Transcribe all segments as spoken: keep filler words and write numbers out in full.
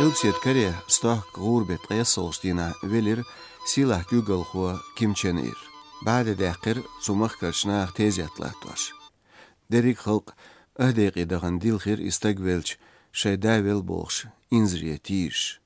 Къилбаседа Корее стохка гӀуран бетт ткъаесналгӀача дийнахьа велира сийлахь куьйгалхо Ким Чен Ир. БӀаьде даьккхира цу махкарча наха тезет латтош. Деррига халкъ аха декъе дахана дилхира и стаг велча, шоай да велла бохуш, инзаре тийжаш.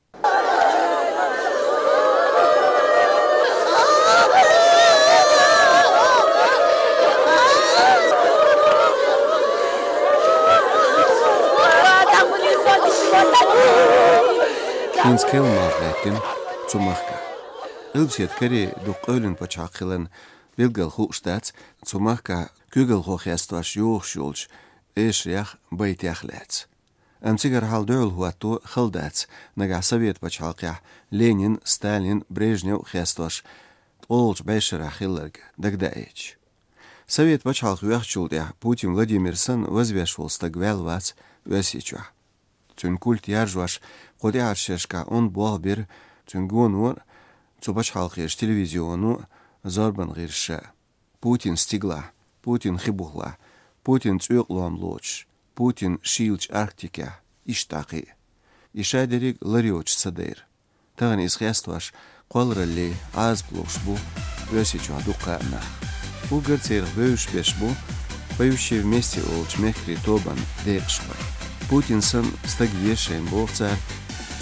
ХӀинца керла малх гӀаьттина цу махкахь. Къилбаседа Корее дукха къевлина пачхьалкх хиларна, билггал хууш дац цу махкахь куьйгалхо хестош йохуш йолчу эшарех, байтех лаьцна. Амма цигара хьал дуьхьал хӀотто хала дац, нагахь Совет пачхьалкхехь Ленин, Сталин, Брежнев хестош ткъолгӀачу бӀешарахь хилларг дагадаийча. Совет пачхьалкх йоьхначул тӀаьхьа Путин Владимир санна вазвеш волу стаг ваьлла вац Оьрсийчохь. Цуьнан культ яржош кху тӀаьхьарчу шерашкахь онда болх бира цуьнан гоно а, цу пачхьалкхерчу телевизионо а зорбанан гӀирсаша. Путин стигалахь, Путин хи бухалахь, Путин цӀоькъалом лоцуш, Путин шийлачу Арктикехь, иштта дӀа кхин а. И ша дерриг лар йоцуш ца дайра. Тахана иза хестош кхоллараллин Ӏазап луш бу Оьрсийчохь дуккха а нах. Уггар церах бевзаш берш бу «Поющие вместе» олучу мехкарийн тобанан декъашхой. Путин санна стаг веза шайна боху цара,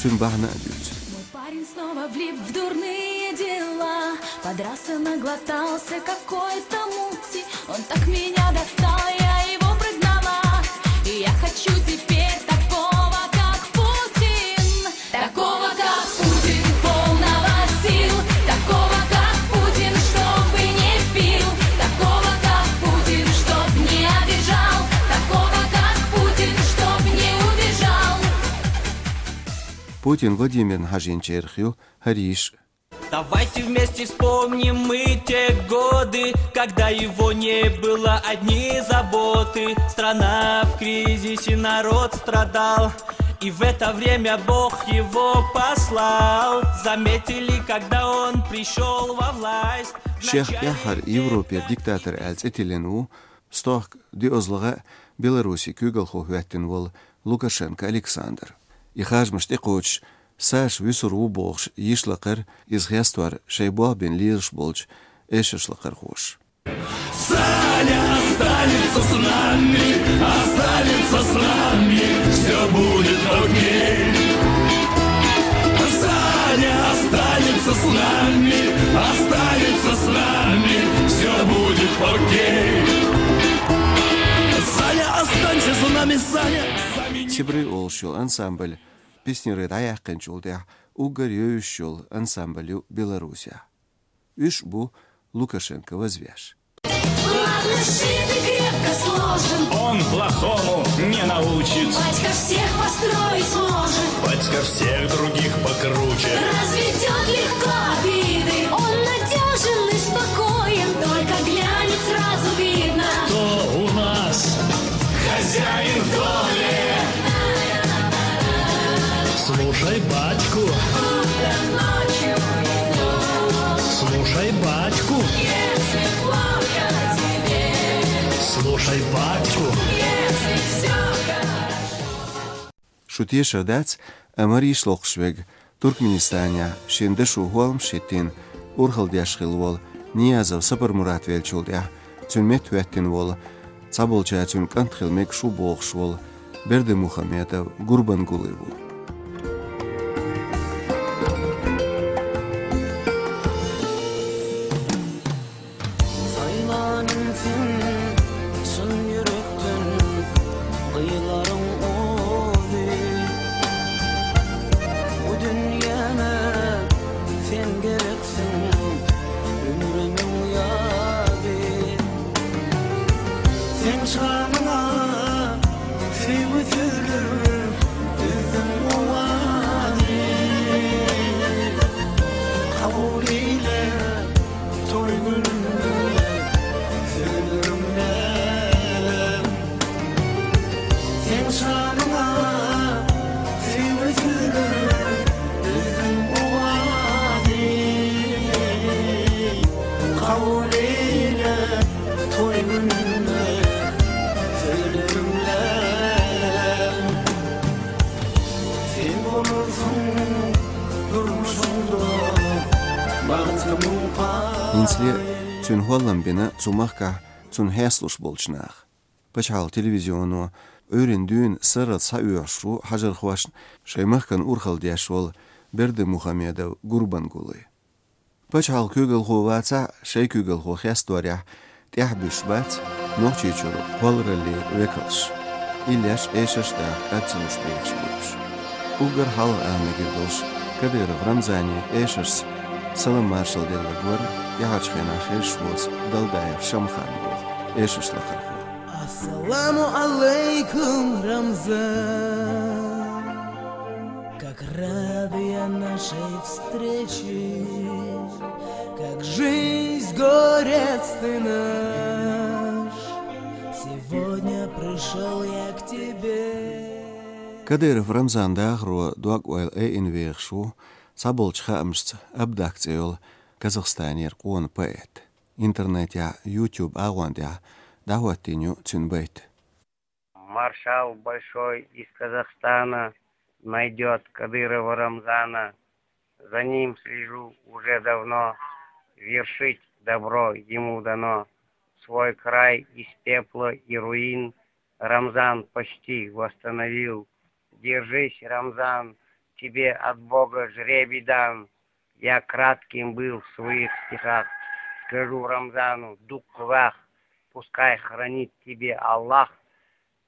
цуьнан бахьана а дуьйцу. Мой парень снова влип в дурные дела. Подрался, наглотался какой-то мути. Он так меня достал, я его прогнала. И я хочу теперь такого, как Путин. Такого, как Путин, полного сил. Такого, как Путин, чтобы не пил. Такого, как Путин, чтоб не обижал. Такого, как Путин, чтоб не убежал. Путин Владимирна хьажийначарах ю хӀара йиш. Давайте вместе вспомним мы те годы, когда его не было, одни заботы. Страна в кризисе, народ страдал, и в это время Бог его послал. Заметили, когда он пришёл во власть. Шех тӀаьххьара Европера диктатор аьлла цӀе тиллина ву, стохка диъазлагӀа а Беларусин куьйгалхо хӀоьттина волу Лукашенко Александр. И харжамаш тӀекхочуш, Саша вуьсур ву бохуш йиш лакхара, иза хестор шайн болх бина лелаш болчу эшарш лакхархоша. Саня останется с нами, останется с нами, всё будет окей. Саня останется с нами, останется с нами, всё будет окей. Саня, останься с нами, Саня. Сибры олуш йолу ансамбль Песняры дӀаяьккхинчул тӀаьхьа уггар евзаш йолу ансамбль ю Беларусехь. Уьш бу Лукашенко вазвеш. Ладно, сшитый, крепко сложен. Он плохому не научит. Батька всех построить может. Батька всех других покруче. Разведёт легко обиды. Он надёжен и спокоен. Только глянет, сразу видно. Кто у нас хозяин в доме? Слушай батьку. Слушай батьку. Слушай батьку. Шу тешар дац, амма йиш локхуш верг Туркменистанехь шен дашо хӀолламаш хӀиттийна урхалла деш хилла волу Ниязов Сапармурат веллачул тӀаьхьа цуьнан метта хӀоьттина волу, цхьаболчара цуьнан кӀант хила мегаш ву бохуш волу Бердымухамедов Гурбангулы ву. Saylanım sen, çyn ýürekden gyýlaryň ozy. Bu dünýäme sen gereksiň, ömrümiň ýazy. Seň şamyňa söýgi sözleri düzdüm owazy. Kabul eýle toý gününi sözlerimle. Seň şamyňa söýgi sözleri düzdüm owazy. Kabul eýle toý gününi sözlerimle. Sen bolarsyň Цуьнан хӀоллам бина цу махкахь цунна хьесталуш болчу наха. Пачхьалкхан телевизионо Ӏуьйранна дуьйна сарралц схьаоьхуш ву хьажархошна шайн махкана урхалла деш волу Бердымухамедов Гурбангулы. Пачхьалкхан куьйгалхо вацахь а, шайн куьйгалхо хесторехь тӀаьхьа буьсуш бац Нохчийчуьра кхоллараллин векалш. Иллеш, эшарш даха кӀад ца луш бехаш болуш. Уггар хьалха ала мегар долуш, Кадыров Рамзане эшаршца салам-маршалла делларг вара тӀаьхьарчу хенахь хезаш воцу Далдаев Шамхан боху эшарш лакхархо. Ассаламу алейкум, Рамзан! Как рад я нашей встрече, как жизнь, горец ты наш, сегодня пришёл я к тебе. Кадыров Рамзан дахаро дог-ойла айина вехаш ву цхьаболчу хаамашца Абдак цӀе йолу Казахстанера къона поэт. Интернетехь, YouTube агӀон тӀехь дӀахӀоттийна ю цуьнан байт. Маршал большой из Казахстана найдёт Кадырова Рамзана. За ним слежу уже давно, вершить добро ему дано. Свой край из пепла и руин Рамзан почти восстановил. Держись, Рамзан, тебе от Бога жребий дан. Я кратким был в своих стихах. Скажу Рамзану: дук вах, пускай хранит тебе Аллах,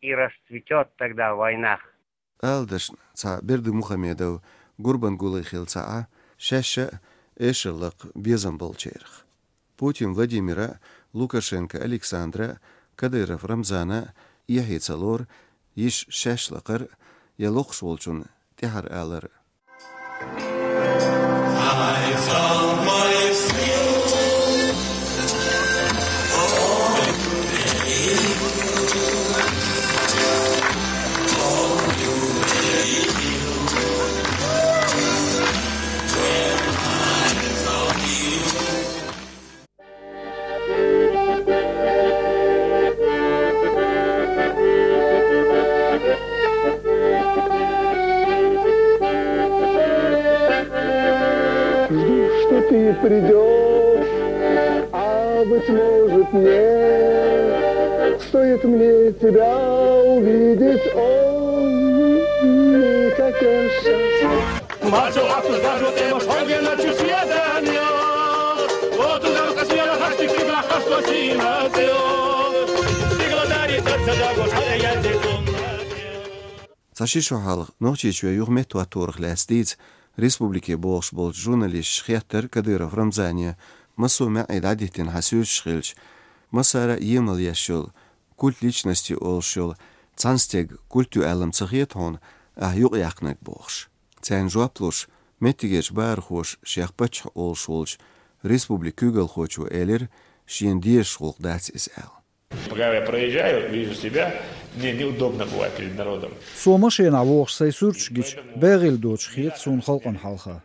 и расцветёт тогда в войнах. Ала дашна, цхьа Бердымухамедов Гурбангулы хилла ца Ӏа, шаьш а эшар лакха безам болчарах. Путин Владимира, Лукашенко Александра, Кадыров Рамзана эхье ца лору йиш шаьш лакхар я локхуш волчунна тӀаьхьара алар. Жду, что ты придёшь, а быть может нет. Стоит мне тебя увидеть, ой, как я счастлив. Цхьа ши шо хьалха Нохчийчоь юха меттахӀотторах лаьцна дийца республике богӀуш болчу журналисташа хеттара Кадыров Рамзане, массо а маьӀӀе дӀадиттина хьан суьрташ хилча, массара а емал еш йолу, культ личности олуш йолу цхьана стеган культ ю аьлла ма ца хета хьуна, ахь юкъаяьккхинарг бохуш. Царна жоп луш, меттигерчу бахархоша шех паччахь олуш волчу республикан куьйгалхочо элира, шена дезаш гӀуллакх дац иза аьлла. Пока я проезжаю, вижу себя, мне неудобно бывает перед народом. Со машенахь вогӀуш сайн суьрташ гича, бегӀийла доцуш хета суна халкъана хьалха.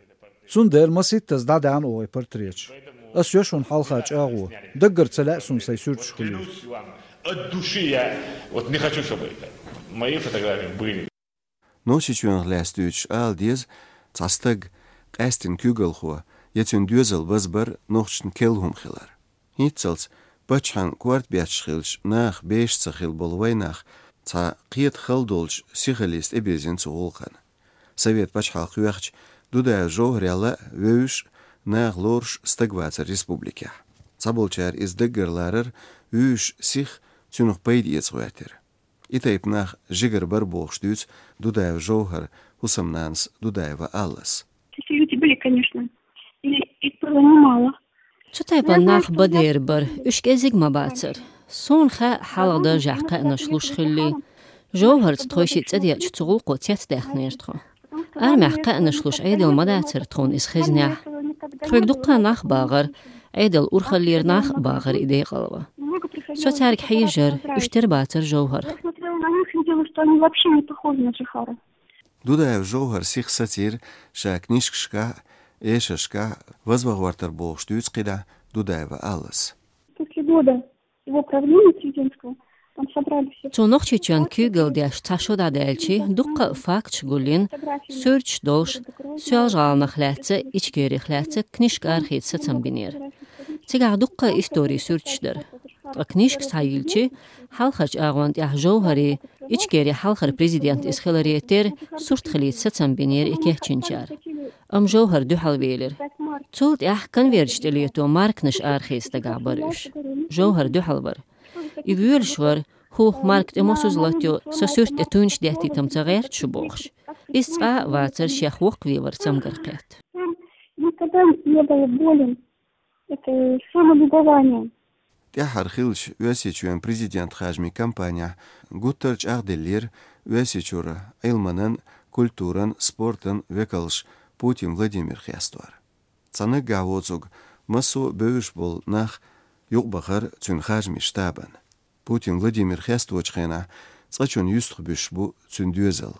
Цундела масийттаза дӀадаьхьна оха и портреташ. Ас йо шуна хьалха чӀагӀо, даггара ца лаьа суна сайн суьрташ хуьлийла. Клянусь вам, от души я вот не хочу, чтобы это мои фотографии были. Нохчийчоьнах лаьцна дуьйцуш ала деза, цхьа стаг, къаьсттина куьйгалхо я цуьнан доьзал базбар нохчашна керла хӀума хилар. ХӀинццалц паччахьан корта бетташ хилча, наха бешаш ца хилла болу вайнах цхьа кхета хала долчу сихаллица тӀебирзина цу гӀуллакхана. Совет пачхьалкх йоьхча, Дудаев Жовхарел а вевзаш, наха лоруш стаг вацара республикехь. Цхьаболчара иза даггара ларар, вуьйш сиха цуьнах пайда эца гӀоьртира. И тайпа нах жигара бара бохуш дуьйцу Дудаев Жовхар хӀусамнанас Дудаева Аллас. Такие люди были, конечно. И их было немало. Цу тайпана нах бан дера бара, уьш кӀезиг ма бацара. Суна хаьа хьалха даржехь кхаьънаш луш хилли. Жовхарца тхойшиъ цӀа деъча цу гӀуллакхо цецдаьхнера тхо. Армехь кхаьънаш луш Ӏедал ма дацара тхуна иза хезнехь. Тхоьга дуккха нах багӀара, Ӏедал урхаллера нах а багӀара и декъалва. Со цаьрга хьежара, уьш тера бацара Жовхарх. Я смотрела на них и видела, что они вообще не похожи на Джихара. Дудаев Жовхар сиха сацийра ша книжкашкахь а, эшаршкахь а вазван гӀортар бохуш дуьйцу кхидӀа Дудаева Аллас. После года его правления президентского там собрали все. Цо Нохчийчоьнан куьйгалла деш цхьа шо дӀадаьлчи, дуккха а факташ гулйина, суьрташ долуш, Соьлжа-ГӀаланах лаьцна, Ичкерих лаьцна книжка архийца сацам бинера. Цигахь дуккха а истори суьрташ дара. Ткъа книжка схьайиллича, хьалхарчу агӀон тӀехь Жовхари, Ичкери хьалхара президент иза хиларе терра, сурт хилийта сацам бинера и кечйинчара. Амма Жовхар дуьхьал велира. Цул тӀаьхьа конверташ тӀе лето марканаш арахеца дагахь бара уьш. Жовхар дуьхьал вара. И воьлуш вара, хӀу марка тӀе мосазза латайо, со суьрта тӀе туьнаш деттийтам ца гӀерта шу бохуш. Иза цкъа а вацара, шех воккхаве вар цамгар кхетта. Никогда не был болен этой самолюбованием. ТӀаьххьара хиллачу Оьрсийчоьнан президент хажамийн кампанехь гуттар а чӀагӀделлера Оьрсийчуьра Ӏилманан, культуран, спортан векалш Путин Владимир хестор. Цхьа наггахь воцург массо а бевзаш болу нах юкъабахара цуьнан хажамийн штабана. Путин Владимир хесточу хенахь цкъачунна юьстахбуьсуш бу цуьнан доьзал.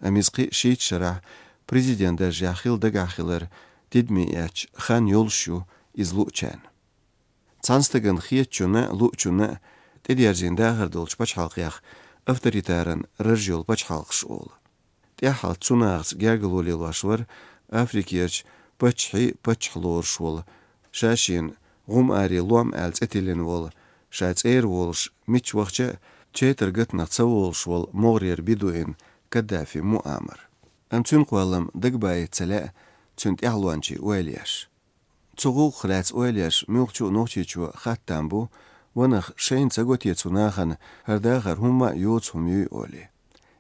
Амма иза кхин а шийтта шарахь президент даржехь хила дагахь хилар тидаме эцча хан йолуш ю иза луучарна. Цхьана стагана хетачунна а, луучунна а тӀедерзийна дахар долчу пачхьалкхех авторитаран раж йолу пачхьалкхаш олу. ТӀаьххьалц цу нахаца гергарло лелош вара Африкерчу паччахьийн паччахь лоруш волу, ша-шена гӀум-аре лом аьлла цӀе тиллина волу, ша цӀера волуш мичча вахча а четар гатанах ца волуш волу могӀарера бедуин Каддафи Муаммар. Амма цуьнан кхоллам дагабайта ца лаьа цуьнан тӀаьхьалончийн ойла еш. Цу гӀуллакхах лаьцна ойла еш муьлххачу а нохчичо хаттам бу, ванах шайна ца го те цу нахана хӀара дахар хӀумма а йоцу хӀума юй олий.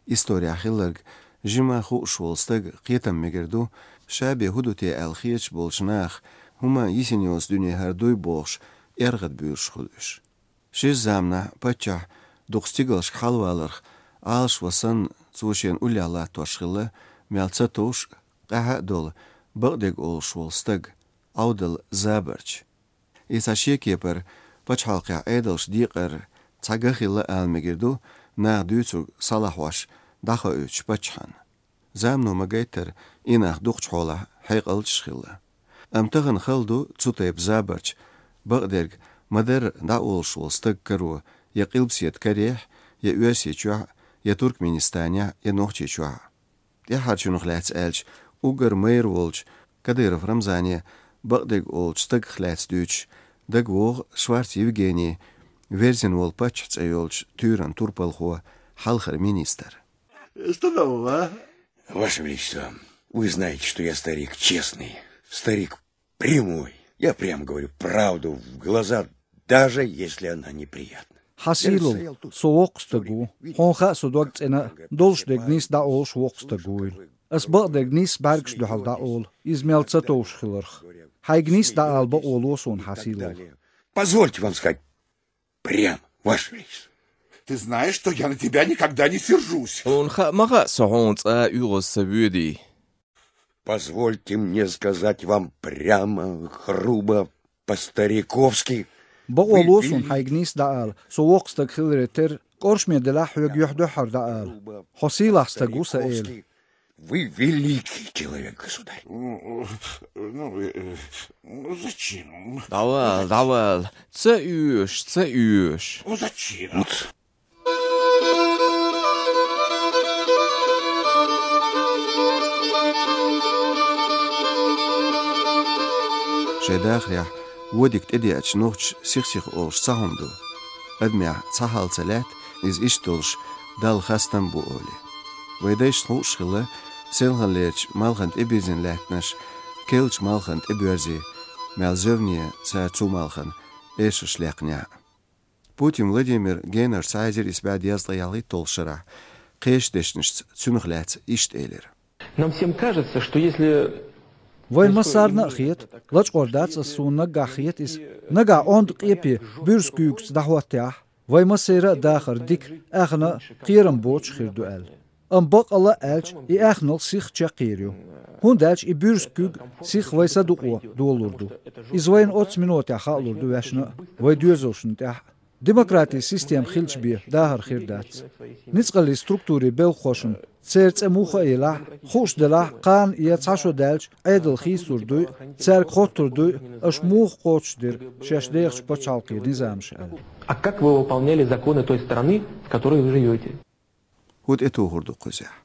Исторехь хилларг жимма хууш волу стаг кхетам мегар ду, ша бен хӀун ду те аьлла хеташ болчу наха хӀумма а йисина йоцу дуьне хӀара дуй бохуш, эргӀад буьйлуш хуьлу уьш. Шира заманахь паччахь дукха стигалшка хьалаваларх Ӏалашван санна, цо шена уллехь латтош хилла, мел ца товш, къаьхьа а долу, бакъдерг олуш волу стаг, Ӏовдал Забарч. И цхьа шен кепара пачхьалкхехь Ӏедалш декъар цхьа ган хилла ала мегар ду, наха дуьйцург схьалахьош дӀахоуьйтуш паччахьна. Замано ма-гайттара, и нах дукхачу хьолахь хьекъалчаш хилла. Амма тахана хала ду цу тайпа Забарч, бакъдерг ма-дарра дӀаолуш волу стаг каро я Къилбаседа карехь, я Оьрсийчохь, я Туркменистанехь, я Нохчийчохь. ТӀаьххьарчунах лаьцна аьлча, уггар майра волчу Кадыров Рамзане, бакъдерг олучу стагах лаьцна дуьйцуш, дагавогӀу Шварц Евгений, верзина волу паччахь цӀе йолчу туьйранан турпалхо, хьалхара министр. Что нового, а? Ваше Величество, вы знаете, что я старик честный, старик прямой. Я прямо говорю правду в глаза, даже если она неприятна. Хьан сийлалла, со воккха стаг ву. Хьуна хаьа со дог цӀена а, долуш дерг нийса дӀаолуш воккха стаг вуйла. Ас бакъдерг нийса бӀаьргаш дуьхьал дӀаолу, иза мел ца товш хиларх. Хьайга нийса дӀаала бакъо ло суна, хьан сийлалла. Позвольте вам сказать прямо, Ваше Величество. Ты знаешь, что я на тебя никогда не сержусь. Хьуна хаьа ма хаьа со хьуна цкъа а оьгӀаз ца воьдий. Позвольте мне сказать вам прямо, грубо, по-стариковски. Бакъо ло суна хьайга нийса дӀаала, со воккха стаг хиларе терра, кӀоршаме делахь хьоьга юьхь-дуьхьара дӀаала. Хьо сийлахь стаг ву сан эла. Вы великий человек, государь. Ну, э, ну, зачем? ДӀавала, дӀавала. Ца оьшу, ца оьшу. Ну, зачем? Шайн дахарехь вон дика тӀедеача нохчаша сих-сиха олуш цхьа хӀума ду. Адамехь цхьа хьал ца лаьтта, иза иштта долуш Далла хастам бу олий. Вайн дайшна хууш хилла, селханлерчу малхана тӀебирзина лаьттанаш керлачу малхана тӀебоьрзий, мел зевне цара цу малхана эшарш лекхнехь а. Путин Владимир генарчу цхьа эзар исс бӀе дезткъе ялхитталгӀачу шарахь кхечу дешнашца цуьнах лаьцна иштта элира. Нам всем кажется, что если... Вайн массарна а хета, лачкъор дац ас, суна наггахь хета иза, нагахь онда къепе буьрса куьйгаца дӀахӀоттехь, вайн массеран а дахар дика, аьхна а, кхерам боцуш хир ду аьлла. Амма баккъалла а аьлча, и аьхналла сиха чекхъер ю. ХӀунда аьлча и буьрса куьг сиха вайн са дукъо долалур ду. Иза вайна оццу минотехь хаалур ду ваьшна а, вайн доьзалшна тӀехь а. Демократин система хилча бен дахар хир дац. Ницкъаллин структурийн белхахошна, церан цӀе муха а елахь, хууш делахь, кхана я цхьа шо даьлча, Ӏедал хийцалур дуй, цаьрга хоттур дуй, аша муха кхочушдира шаьш дехачу пачхьалкхийн низамаш аьлла. А как вы выполняли законы той страны, в которой вы живёте? ХӀун тӀетухур ду кхузахь?